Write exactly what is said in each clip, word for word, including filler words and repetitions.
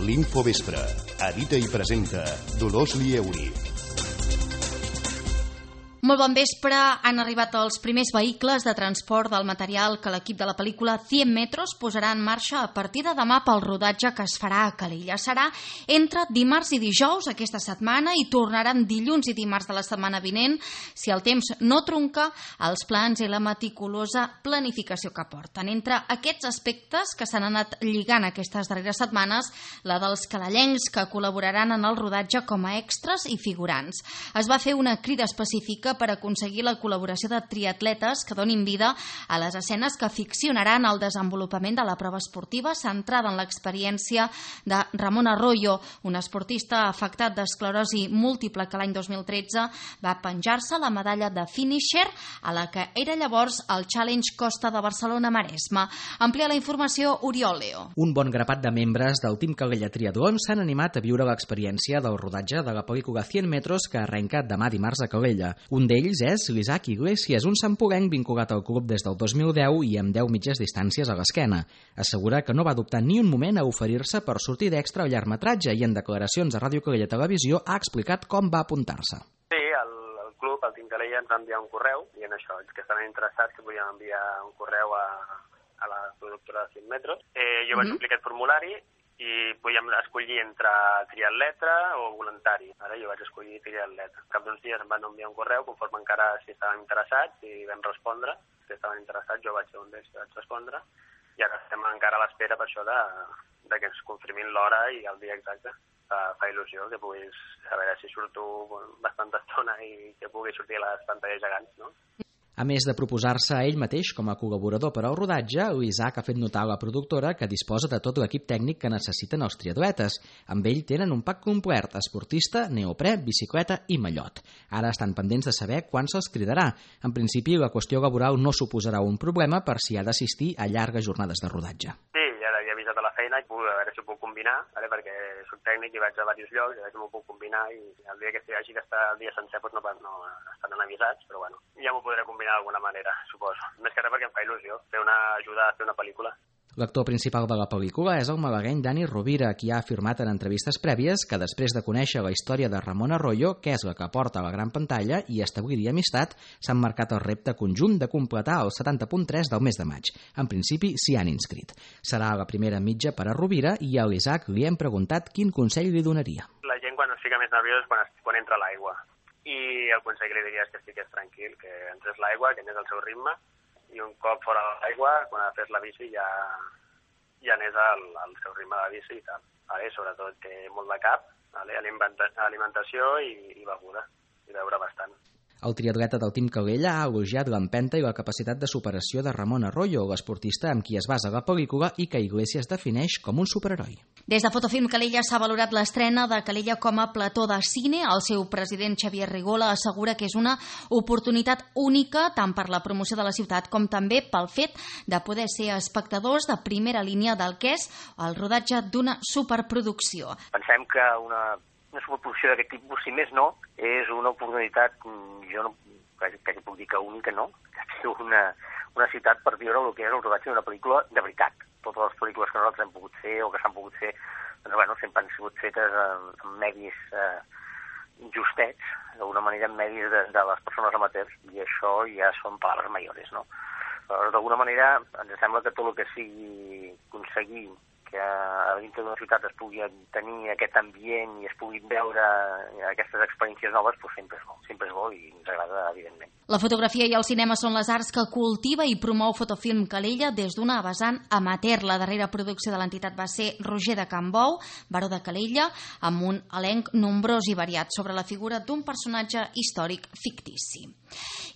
L'Infovespre. Edita i presenta Dolors Lieuri. Molt bon vespre. Han arribat els primers vehicles de transport del material que l'equip de la pel·lícula cent metros posarà en marxa a partir de demà pel rodatge que es farà a Calella. Serà entre dimarts i dijous aquesta setmana i tornaran dilluns i dimarts de la setmana vinent si el temps no trunca els plans i la meticulosa planificació que porten. Entre aquests aspectes que s'han anat lligant aquestes darreres setmanes, la dels calellencs que col·laboraran en el rodatge com a extras i figurants. Es va fer una crida específica per aconseguir la col·laboració de triatletes que donin vida a les escenes que ficcionaran el desenvolupament de la prova esportiva centrada en l'experiència de Ramon Arroyo, un esportista afectat d'esclerosi múltiple que l'any dos mil tretze va penjar-se la medalla de finisher a la que era llavors el Challenge Costa de Barcelona-Maresme. Amplia la informació Oriol Leo. Un bon grapat de membres del Team Calella Triatlon s'han animat a viure l'experiència del rodatge de la pel·lícula cent metros que arrenca demà dimarts a Calella. Un d'ells és l'Isaac Iglesias, un santpoguenc vinculat al club des del dos mil deu i amb deu mitges distàncies a l'esquena. Assegura que no va dubtar ni un moment a oferir-se per sortir d'extra al llargmetratge i en declaracions a Ràdio Calella Televisió ha explicat com va apuntar-se. Sí, el, el club, el Team Calella, ens va enviar un correu i en això, els que estaven interessats que podien enviar un correu a, a la productora de cent metros. Eh, jo vaig mm-hmm. omplir aquest formulari i podíem escollir entre triatleta o voluntari. Ara jo vaig escollir triatleta. Cap d'uns dies em van enviar un correu conforme encara si estaven interessats i vam respondre. Si estaven interessats jo vaig ser un d'ells que vaig respondre i ara estem encara a l'espera per això de, de que ens confirmin l'hora i el dia exacte. Fa, fa il·lusió que puguis saber si surto bastanta estona i que pugui sortir a les pantalles gegants, no? A més de proposar-se a ell mateix com a col·laborador per al rodatge, l'Isaac ha fet notar a la productora que disposa de tot l'equip tècnic que necessiten els triatletes. Amb ell tenen un pack complet, esportista, neoprè, bicicleta i mallot. Ara estan pendents de saber quan se'ls cridarà. En principi, la qüestió laboral no suposarà un problema per si ha d'assistir a llargues jornades de rodatge. Sí, ja l'havia avisat a la feina i puc, a veure si ho puc combinar, vale? Perquè soc tècnic i vaig a diversos llocs, a veure si m'ho puc combinar i el dia que hagi d'estar el dia sencer doncs no, no estaran avisats, però bueno, ja m'ho podré combinar d'alguna manera, suposo. Més que res perquè em fa il·lusió fer una ajuda a fer una pel·lícula. L'actor principal de la pel·lícula és el malagueny Dani Rovira, qui ha afirmat en entrevistes prèvies que després de conèixer la història de Ramon Arroyo, que és la que porta a la gran pantalla, i establir-hi amistat, s'han marcat el repte conjunt de completar el setanta punt tres del mes de maig. En principi s'hi han inscrit. Serà la primera mitja per a Rovira i a l'Isaac li hem preguntat quin consell li donaria. La gent quan es fica més nerviós és quan, quan entra a l'aigua. I el consell que li diria és que estigués tranquil, que entres l'aigua, que anés al seu ritme, i un cop fora de l'aigua, quan ha fet la bici, ja, ja anés al, al seu ritme de bici i tal. Vale? Sobretot té molt de cap, vale? Alimentació i, i beguda, i beure bastant. El triatleta del Team Calella ha elogiat l'empenta i la capacitat de superació de Ramon Arroyo, l'esportista amb qui es basa la pel·lícula i que Iglesias defineix com un superheroi. Des de Fotofilm Calella s'ha valorat l'estrena de Calella com a plató de cine. El seu president Xavier Rigola assegura que és una oportunitat única tant per la promoció de la ciutat com també pel fet de poder ser espectadors de primera línia del que és el rodatge d'una superproducció. Pensem que una una superproducció d'aquest tipus, si més no, és una oportunitat, jo no, quasi, quasi puc dir que única, no? Que té una, una ciutat per viure el que és el rodatge d'una pel·lícula de veritat. Totes les pel·lícules que nosaltres hem pogut fer o que s'han pogut fer, doncs, bueno, sempre han sigut fetes en, en medis eh, justets, d'alguna manera en medis de, de les persones amateurs, i això ja són paraules mayores, no? Però d'alguna manera ens sembla que tot el que sigui aconseguir que a dintre d'una ciutat es pugui tenir aquest ambient i es puguin veure aquestes experiències noves, doncs sempre és bo, sempre és bo i ens agrada, evidentment. La fotografia i el cinema són les arts que cultiva i promou Fotofilm Calella des d'una vessant amateur. La darrera producció de l'entitat va ser Roger de Cambou, baró de Calella, amb un elenc nombrós i variat sobre la figura d'un personatge històric fictici.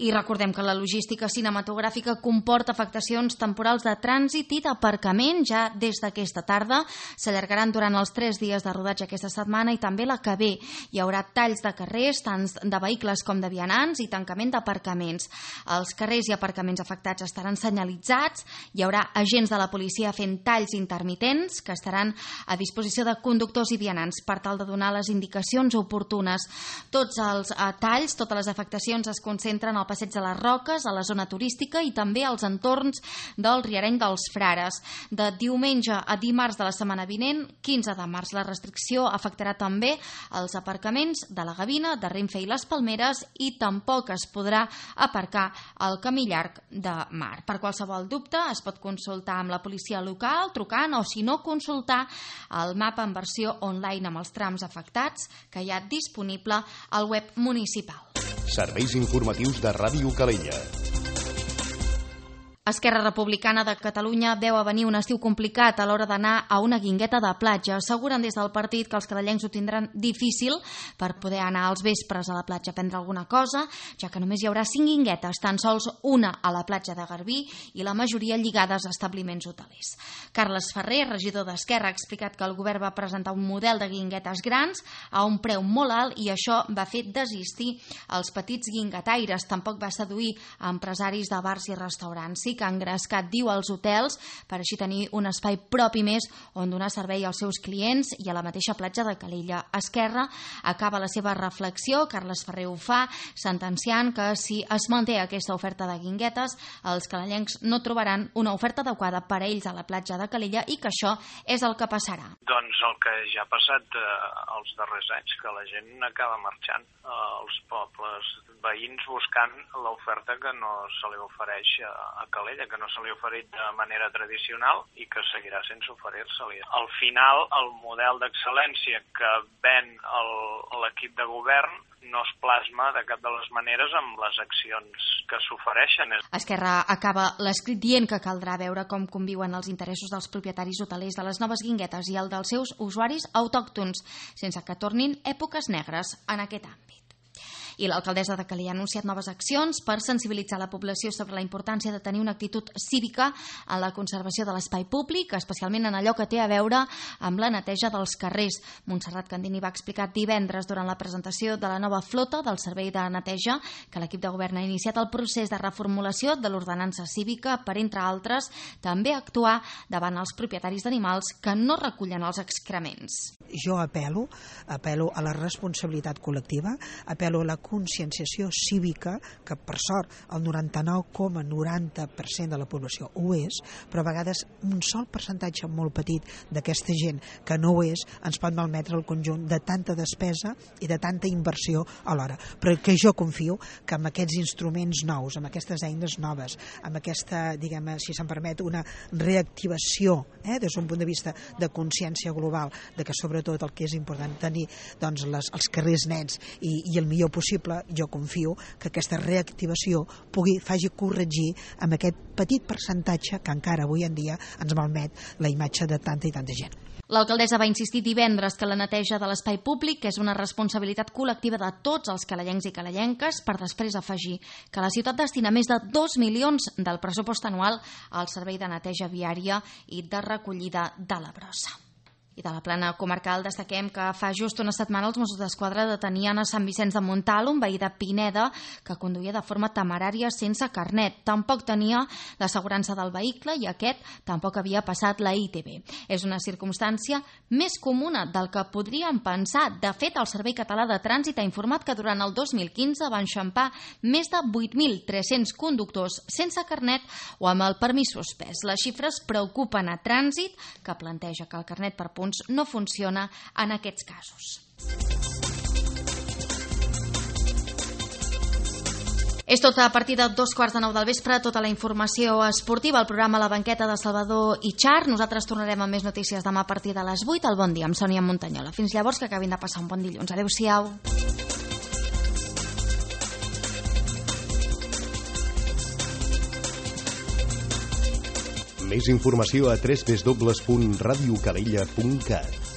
I recordem que la logística cinematogràfica comporta afectacions temporals de trànsit i d'aparcament. Ja des d'aquesta tarda s'allargaran durant els tres dies de rodatge aquesta setmana i també la que ve. Hi haurà talls de carrers, tant de vehicles com de vianants, i tancament d'aparcaments. Els carrers i aparcaments afectats estaran senyalitzats, hi haurà agents de la policia fent talls intermitents que estaran a disposició de conductors i vianants per tal de donar les indicacions oportunes. Tots els talls, totes les afectacions es concentren al Passeig de les Roques, a la zona turística i també als entorns del Riareny dels Frares. De diumenge a diumenge dimarts de la setmana vinent, quinze de març. La restricció afectarà també els aparcaments de la Gavina, de Renfe i les Palmeres, i tampoc es podrà aparcar al camí llarg de Mar. Per qualsevol dubte es pot consultar amb la policia local, trucant, o si no, consultar el mapa en versió online amb els trams afectats que hi ha disponible al web municipal. Serveis informatius de Ràdio Calella. Esquerra Republicana de Catalunya veu a venir un estiu complicat a l'hora d'anar a una guingueta de platja. Asseguren des del partit que els cadallencs ho tindran difícil per poder anar als vespres a la platja a prendre alguna cosa, ja que només hi haurà cinc guinguetes, tan sols una a la platja de Garbí i la majoria lligades a establiments hotelers. Carles Ferrer, regidor d'Esquerra, ha explicat que el govern va presentar un model de guinguetes grans a un preu molt alt i això va fer desistir els petits guinguetaires. Tampoc va seduir a empresaris de bars i restaurants. Sí que ha engrescat, diu, als hotels per així tenir un espai propi més on donar servei als seus clients i a la mateixa platja de Calella. Esquerra acaba la seva reflexió, Carles Ferrer ho fa, sentenciant que si es manté aquesta oferta de guinguetes, els calellencs no trobaran una oferta adequada per a ells a la platja de Calella i que això és el que passarà. Doncs el que ja ha passat eh, els darrers anys, que la gent acaba marxant als eh, pobles veïns buscant l'oferta que no se li ofereix a, a Calella, que no se li ha oferit de manera tradicional i que seguirà sense oferir-se-li. Al final, el model d'excel·lència que ven l'equip de govern no es plasma de cap de les maneres amb les accions que s'ofereixen. Esquerra acaba l'escrit dient que caldrà veure com conviuen els interessos dels propietaris hotelers de les noves guinguetes i el dels seus usuaris autòctons, sense que tornin èpoques negres en aquest àmbit. I l'alcaldessa de Calella ha anunciat noves accions per sensibilitzar la població sobre la importància de tenir una actitud cívica en la conservació de l'espai públic, especialment en allò que té a veure amb la neteja dels carrers. Montserrat Candini va explicar divendres durant la presentació de la nova flota del servei de neteja que l'equip de govern ha iniciat el procés de reformulació de l'ordenança cívica per, entre altres, també actuar davant els propietaris d'animals que no recullen els excrements. Jo apel·lo, apel·lo a la responsabilitat col·lectiva, apel·lo a la conscienciació cívica, que per sort el noranta-nou coma noranta per cent de la població ho és, però a vegades un sol percentatge molt petit d'aquesta gent que no ho és ens pot malmetre el conjunt de tanta despesa i de tanta inversió alhora. Però que jo confio que amb aquests instruments nous, amb aquestes eines noves, amb aquesta, diguem, si se'm permet, una reactivació eh, des d'un punt de vista de consciència global, de que sobretot el que és important tenir doncs, les, els carrers nets i, i el millor possible, jo confio que aquesta reactivació pugui, faci corregir amb aquest petit percentatge que encara avui en dia ens malmet la imatge de tanta i tanta gent. L'alcaldessa va insistir divendres que la neteja de l'espai públic és una responsabilitat col·lectiva de tots els calellencs i calellenques, per després afegir que la ciutat destina més de dos milions del pressupost anual al servei de neteja viària i de recollida de la brossa. I de la plana comarcal destaquem que fa just una setmana els Mossos d'Esquadra detenien a Sant Vicenç de Montalt un veí de Pineda que conduïa de forma temerària sense carnet. Tampoc tenia l'assegurança del vehicle i aquest tampoc havia passat la I T B. És una circumstància més comuna del que podríem pensar. De fet, el Servei Català de Trànsit ha informat que durant el dos mil quinze van enxampar més de vuit mil tres-cents conductors sense carnet o amb el permís suspès. Les xifres preocupen a Trànsit, que planteja que el carnet per punts no funciona en aquests casos. És tot a partir de dos quarts de nou del vespre, tota la informació esportiva, el programa La Banqueta de Salvador i Char. Nosaltres tornarem amb més notícies demà a partir de les vuit. El bon dia amb Sònia Montanyola. Fins llavors, que acabin de passar un bon dilluns. Adéu-siau. Més informació a w w w punt radiocalella punt cat.